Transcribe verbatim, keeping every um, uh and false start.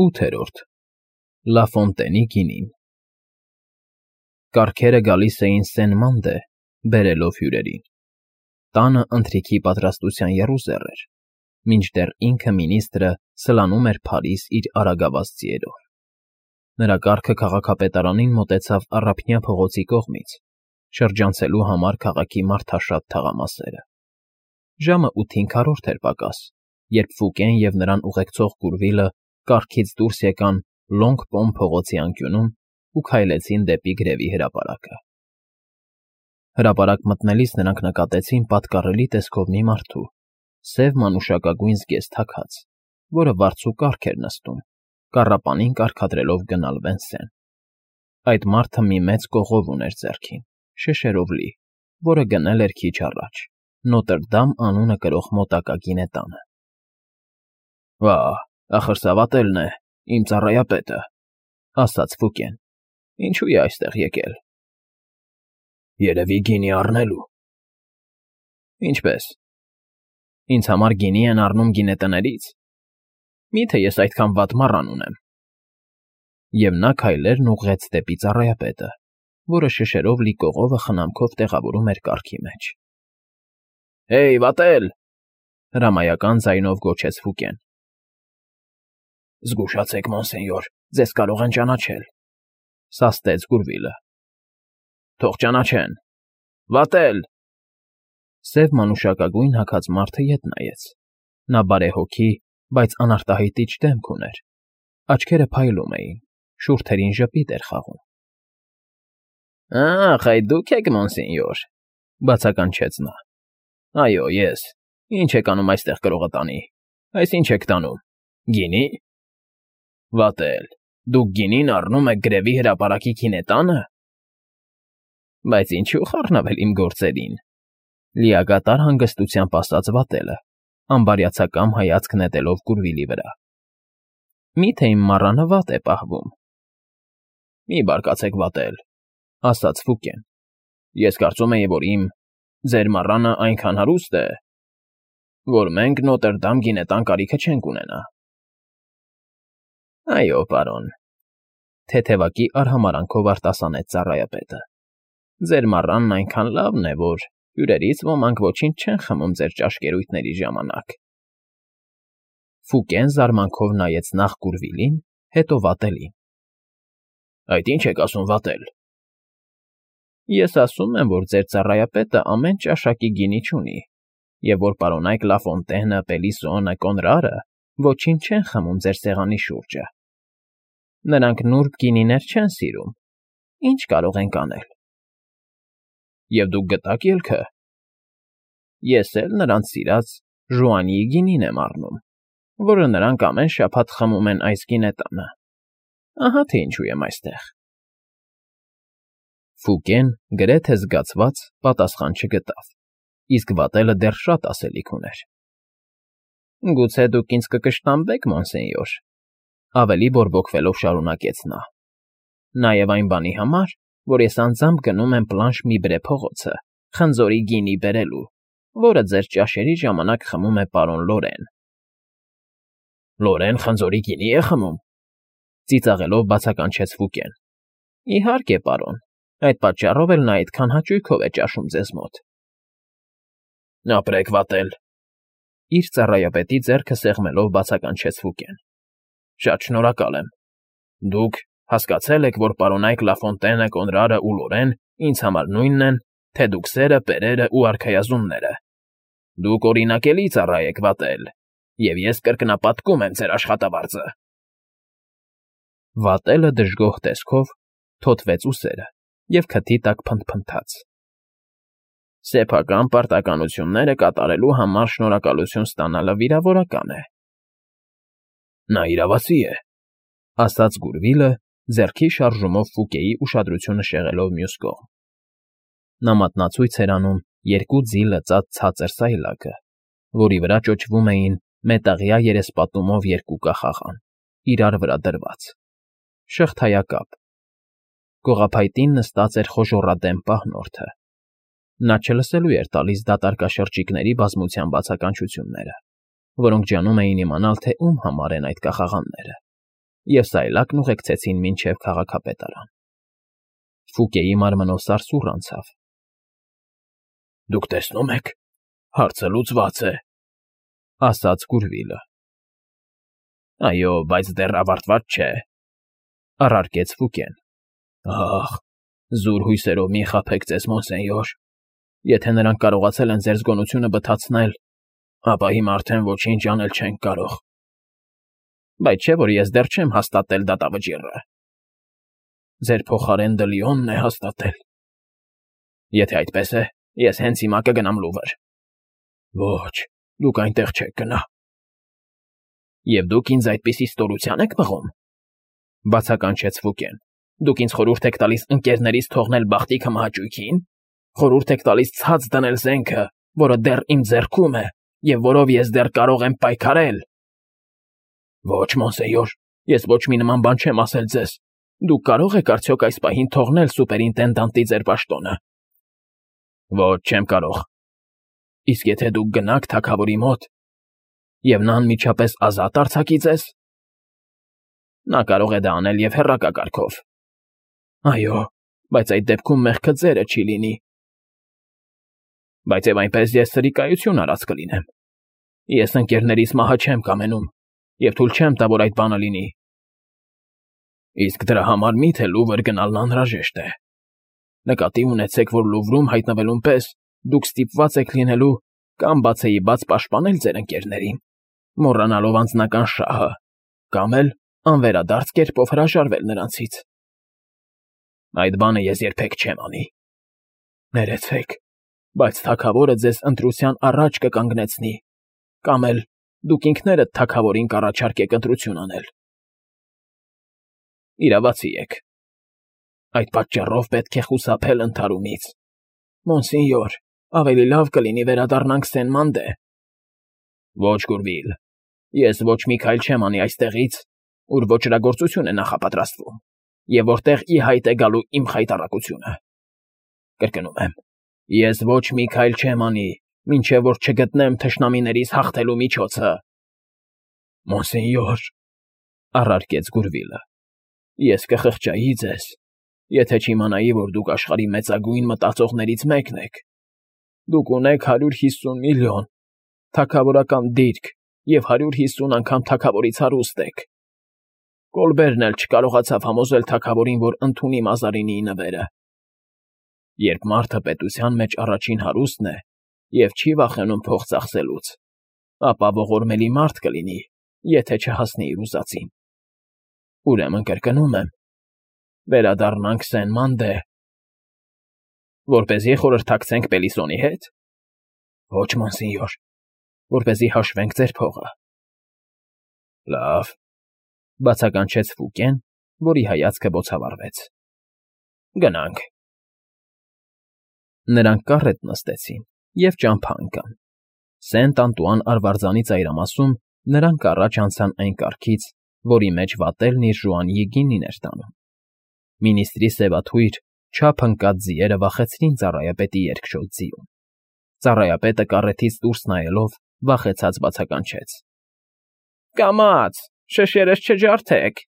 ՈՒԹԵՐՈՐԴ Լաֆոնտենի գինին Կառքերը գալիս էին Սեն֊Մանդե, բերելով հյուրերին, տանը ընթրիքի պատրաստության եռուզեռ էր, մինչդեռ ինքը մինիստրը սլանում էր Փարիզ իր արագավազ ձիերով. նրա կառքը քաղաքապետարանին մոտեցավ Առափնյա փողոցի կողմից, շրջանցելու համար քաղաքի մարդաշատ թաղամասերը. ժամը ութին քառորդ էր պակաս, երբ Ֆուկեն և նրան ուղեկցող Գուրվիլը կառքից դուրս եկան Լոնգ֊Պոմ փողոցի անկյունում ու քայլեցին դեպի գրևի հրապարակը. Հրապարակ մտնելիս նրանք նկատեցին պատկառելի տեսքով մի մարդու, սև մանուշակագույն զգեստ հագած, որը վարձու կառք էր նստում, կառապանին կարգադրելով գնալ Վենսեն. այդ մարդը մի մեծ կողով ուներ ձեռքին, շշերով լի, որը գնել էր քիչ առաջ, Նոտրդամ անունը կրող մոտակա գինետանը։ ֊ Վա՜, ախր սա վատելն է, իմ ծառայապետը, ֊ ասաց Ֆուկեն։ ֊ Ինչո՞ւ է այստեղ եկել։ ֊ Երևի գինի առնելու։ ֊ Ինչպե՞ս։ ֊ Ինձ համար գինի են առնում գինետներից։ Մի՞թե ես այդքան վատ մառան ունեմ։ Եվ նա քայլերն ուղղեց դեպի ծառայապետը, որը շշերով լի կողովը խնամքով տեղավորում էր կառքի մեջ։ ֊ Հեյ, վատել,֊ հրամայական ձայնով գոչեց Ֆուկեն։ ֊ Զգուշացեք, մոնսենյոր, ձեզ կարող են ճանաչել,֊ սաստեց Գուրվիլը։ ֊ Թող ճանաչեն։ Վատել… Սև մանուշակագույն հագած մարդը ետ նայեց. նա բարեհոգի, բայց անարտահայտիչ դեմք ուներ, աչքերը փայլում էին, շուրթերին ժպիտ էր խաղում։ ֊ Ա՜խ, այդ դուք եք, մոնսենյոր,֊ բացականչեց նա։ ֊ Այո, ես… Ի՞նչ եք անում այստեղ կրողատանի… Այս ի՞նչ եք տանում… Գինի՞… Վատել… Դուք գինին առնում եք գրևի հրապարակի գինետա՞նը… Բայց ինչու խառնվել իմ գործերին,֊ լիակատար հանգստությամբ ասաց վատելը, անբարյացակամ հայացք նետելով Գուրվիլի վրա։ ֊ Մի՞թե իմ մառանը վատ է պահվում։ ֊ Մի բարկացեք, վատել,֊ ասաց Ֆուկեն։ ֊ Ես կարծում էի, որ իմ… ձեր մառանը այնքան հարուստ է, որ մենք Նոտրդամ գինետան կարիքը չենք ունենա։ ֊ Այո, պարոն,֊ թեթևակի արհամարհանքով արտասանեց ծառայապետը։ ֊ Ձեր մառանն այնքան լավն է, որ հյուրերից ոմանք ոչինչ չեն խմում ձեր ճաշկերույթների ժամանակ։ Ֆուկեն զարմանքով նայեց նախ Գուրվիլին, հետո վատելին։ ֊ Այդ ի՞նչ եք ասում, վատել։ ֊ Ես ասում եմ, որ ձեր ծառայապետը ամեն ճաշակի գինի չունի, և որ պարոնայք Լաֆոնտենը, Պելիսոնը, Կոնրարը ոչինչ չեն խմում ձեր սեղանի շուրջը։ Նրանք նուրբ գինիներ չեն սիրում, ի՞նչ կարող ենք անել։ ֊ Եվ դուք գտա՞ք ելքը։ ֊ Ես էլ նրանց սիրած Ժուանիի գինին եմ առնում, որը նրանք ամեն շաբաթ խմում են այս գինետանը։ Ահա թե ինչու եմ այստեղ։ Ֆուկեն, գրեթե զգացված, պատասխան չգտավ, իսկ վատելը դեռ շատ ասելիք ուներ։ ֊ Գուցե դուք ինձ կկշտամբեք, մոնսենյոր,֊ ավելի բորբոքվելով շարունակեց նա։ ֊ Նաև այն բանի համար, որ ես անձամբ գնում եմ Պլանշ֊Միբրե փողոցը խնձորի գինի բերելու, որը ձեր ճաշերի ժամանակ խմում է պարոն Լորեն։ ֊ Լորեն խնձորի գինի՞ է խմում,֊ ծիծաղելով բացականչեց Ֆուկեն։ ֊ Իհարկե, պարոն, այդ պատճառով էլ նա այդքան հաճույքով է ճաշում ձեզ մոտ։ ֊ Ապրեք, վատել,֊ իր ծառայապետի ձեռքը սեղմելով բացականչեց Ֆուկեն։ ֊ Շատ շնորհակալ եմ։ Դուք հասկացել եք, որ պարոնայք Լաֆոնտենը, Կոնրարը ու Լորեն ինձ համար նույնն են, թե դուքսերը, պերերը ու արքայազունները։ Դուք օրինակելի ծառա եք, վատել, և ես կրկնապատկում եմ ձեր աշխատավարձը։ Վատելը դժգոհ տեսքով թոթվեց ուսերը և քթի տակ փնթփնթաց։ ֊ Սեփական պարտականությունները կատարելու համար շնորհակալություն ստանալը վիրավորական է։ ֊ Նա իրավացի է,֊ ասաց Գուրվիլը, ձեռքի շարժումով Ֆուկեի ուշադրությունը շեղելով մյուս կողմ։ Նա մատնացույց էր անում երկու ձի լծած ցածր սայլակը, որի վրա ճոճվում էին մետաղյա երեսպատումով երկու կախաղան, իրար վրա դրված, շղթայակապ։ Կողափայտին նստած էր խոժոռադեմ պահնորդը։ Նա չլսելու էր տալիս դատարկաշրջիկների բազմության բացականչությունները, որոնք ջանում էին իմանալ, թե ում համար են այդ կախաղանները։ և սայլակն ուղեկցեցին մինչև քաղաքապետարան։ Ֆուկեի մարմնով սարսուռ անցավ։ ֊ Դուք տեսնում եք, հարցը լուծված է,֊ ասաց Գուրվիլը։ ֊ Այո, բայց դեռ ավարտված չէ,֊ առարկեց Ֆուկեն։ ֊ Ախ, զուր հույսերով մի խաբեք ձեզ, մոնսենյոր. եթե նրանք կարողացել են ձեր զգոնությունը բթացնել, ապա հիմա արդեն ոչինչ անել չենք կարող։ Բայց չէ՞ որ ես դեռ չեմ հաստատել դատավճիռը։ Ձեր փոխարեն Դլիոնն է հաստատել։ Եթե այդպես է, ես հենց հիմա կգնամ Լուվր։ Ոչ, դուք այնտեղ չեք գնա։ Եվ դուք ինձ այդպիսի ստորության եք մղում,֊ բացականչեց Ֆուկեն։ Դուք ինձ խորհուրդ եք տալիս ընկերներիս թողնել բախտիքը մահաճույքին, խորհուրդ եք տալիս ցած դնել զենքը, որը դեռ իմ ձեռքում է և որով ես դեռ կարող եմ պայքարել։ Ոչ, մոնսենյոր, ես ոչ մի նման բան չեմ ասել ձեզ։ Դուք կարող եք արդյոք այս պահին թողնել սուպերինտենդանտի ձեր պաշտոնը։ Ոչ, չեմ կարող։ Իսկ եթե դուք գնաք թագավորի մոտ, և նա անմիջապես ազատ արձակի ձեզ։ Նա կարող է դա անել և հեռակա կարգով։ Այո, բայց այդ դեպքում մեղքը ձերը չի լինի։ Բայց և այնպես ես սրիկայություն արած կլինեմ։ Ես ընկերներիս մահը չեմ կամենում և թույլ չեմ տա, որ այդ բանը լինի։ Իսկ դրա համար մի՞թե Լուվր գնալն անհրաժեշտ է։ Նկատի ունեցեք, որ Լուվրում հայտնվելուն պես դուք ստիպված եք լինելու կամ բացեիբաց պաշտպանել ձեր ընկերներին, մոռանալով անձնական շահը, կամ էլ անվերադարձ կերպով հրաժարվել նրանցից։ Այդ բանը ես երբեք չեմ անի։ Ներեցեք, բայց թագավորը ձեզ ընտրության առաջ կկանգնեցնի, կամ էլ դուք ինքներդ թագավորին կառաջարկեք ընտրություն անել։ Իրավացի եք։ Այդ պատճառով պետք է խուսափել ընդհարումից։ Մոնսենյոր, ավելի լավ կլինի վերադառնանք Սեն֊Մանդե։ Ոչ, Գուրվիլ, ես ոչ մի քայլ չեմ անի այստեղից, ուր ոճրագործություն է նախապատրաստվում, և որտեղ ի հայտ է գալու իմ խայտառակությունը։ Կրկնում եմ, ես ոչ մի քայլ չեմ անի, մինչև որ չգտնեմ թշնամիներիս հաղթելու միջոցը։ Մոնսենյոր, առարկեց Գուրվիլը, ես կխղճայի ձեզ, եթե չիմանայի, որ դուք աշխարհի մեծագույն մտածողներից մեկն եք։ Դուք ունեք հարյուր հիսուն միլիոն, թագավորական դիրք և հարյուր հիսուն անգամ թագավորից հարուստ եք։ Կոլբերն էլ չկարողացավ համոզել թագավորին, որ ընդունի Մազարինիի նվերը։ Երբ մարդը պետության մեջ առաջին հարուստն է և չի վախենում փող ծախսելուց, ապա ողորմելի մարդ կլինի, եթե չհասնի իր ուզածին։ Ուրեմն կրկնում եմ. վերադառնանք Սեն֊Մանդե։ Որպեսզի խորհրդակցենք Պելիսոնի հետ։ Ոչ, մոնսենյոր, որպեսզի հաշվենք ձեր փողը։ Լավ,֊ բացականչեց Ֆուկեն, որի հայացքը բոցավառվեց։ Գնանք։ Նրանք կառետ նստեցին և ճամփա ընկան։ Սենտ Անտուան արվարձանի ծայրամասում նրանք առաջ անցան այն կառքից, որի մեջ վատելն իր ժուանիի գինին էր տանում։ Մինիստրի սևաթույր, չափ ընկած ձիերը վախեցրին ծառայապետի երկշոտ ձիուն։ Ծառայապետը կառետից դուրս նայելով վախեցած բացականչեց. Կամաց, շշերս չջարդեք։